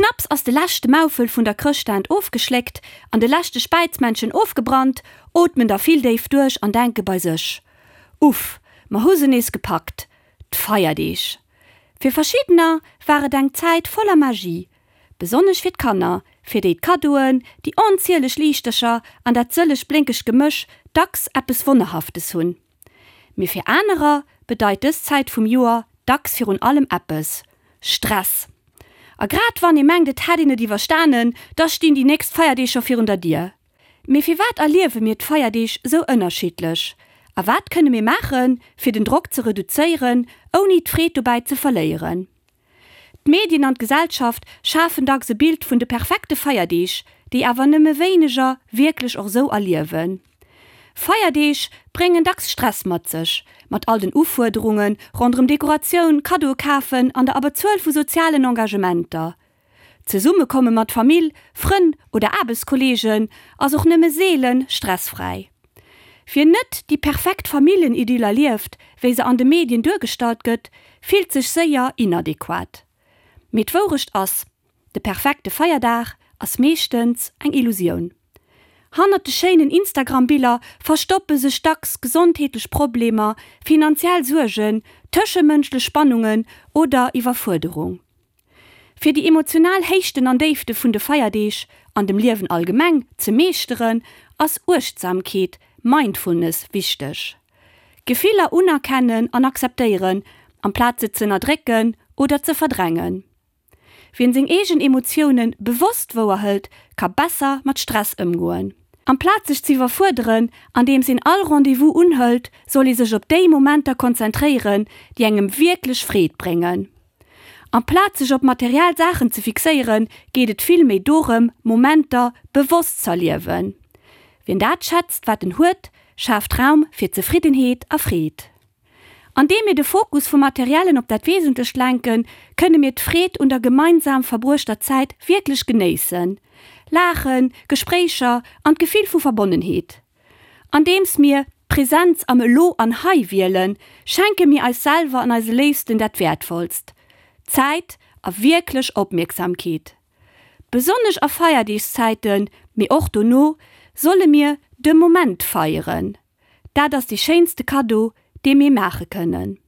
Knapps ass de leschte Maufel vun der Chrëschtdand ofgeschléckt an de leschte Späizmännchen ofgebrannt, ootmen der vill déif duerch an denke bei sech, Uff, mer hu se nees gepackt, d'Feierdeeg! Fir verschiddener war et eng Zäit voller Magie, besonnesch fir d'Kanner, fir déi d'Kaddoen, déi onzieleg Liichtercher an dat sëlleg blénkegt Gemësch dacks eppes Wonnerhaftes hunn. Mee fir anerer bedeit dës Zäit vum Joer dacks virun allem eppes, Stress! A grad wann ee mengt et hätt een et iwwerstanen, da stinn déi nächst Feierdeeg scho virun der Dier. Mee firwat erliewe mir d'Feierdeeg sou ënnerschiddlech? A wat kënne mir maachen, fir den Drock ze reduzéieren, ouni d'Freed dobäi ze verléieren? D'Medien an d'Gesellschaft schafen dacks e Bild vun de perfekte Feierdeeg, déi awer nëmme wéineger wierklech och sou erliewen. Feierdeeg bréngen dacks Stress mat sech, mat all den Ufuerderunge ronderëm Dekoratioun, Kaddoe kafen an der Abberzuel vu sozialen Engagementer. D'Zesummekomme mat Famill, Frënn oder Aarbechtskolleegen ass och nëmme seele stressfräi. Wien net déi perfekt Familljenidyll erlieft, wéi se an de Medien duergestallt gëtt, fillt sech séier inadequat. Mee d'Wourecht ass, De perfekte Feierdag ass meeschtens eng Illusioun. Hannert de schéinen Instagram-Biller verstoppe sech dacks gesondheetlech Problemer, finanziell Suergen, tëschemënschlech Spannungen oder Iwwerfuerderung. Fir déi emotional Héichten an Déifte vun de Feierdeeg, an dem Liewen allgemeng, ze meeschteren, ass Uechtsamkeet, Mindfulness, wichteg. Gefiller unerkennen an akzeptéieren, amplaz se z'ënnerdrécken oder ze verdrängen. Wien seng eegen Emotioune bewosst wouerhëlt, ka besser mat Stress ëmgoen. Amplaz sech z'iwwerfuerderen, andeems een all Rendez-vous unhëlt, soll ee sech op déi Momenter konzentréieren, déi engem wierklech Freed bréngen. Amplaz sech op materiell Saachen ze fixéieren, geet et vill méi dorëm, Momenter bewosst z'erliewen. Wien dat schätzt, wat en huet, schaaft Raum fir Zefriddenheet a Freed. Andeem mir de Fokus vum Materiellen op dat Wesentlecht lenken, kënne mir d'Freed un der gemeinsam verbruechter Zäit wierklech genéissen. Laachen, Gespréicher an d'Gefill vu Verbonnenheet. Andeems mir d'Präsenz am Elo an Hei wielen, schenke mir eis selwer an eise Léifsten dat Wäertvollst, Zäit a wierklech Opmierksamkeet. Besonnesch a Feierdeegszäiten, mee och dono, solle mir de Moment feieren. Dat ass dee schéinste Kaddo, dee mir maache kënnen.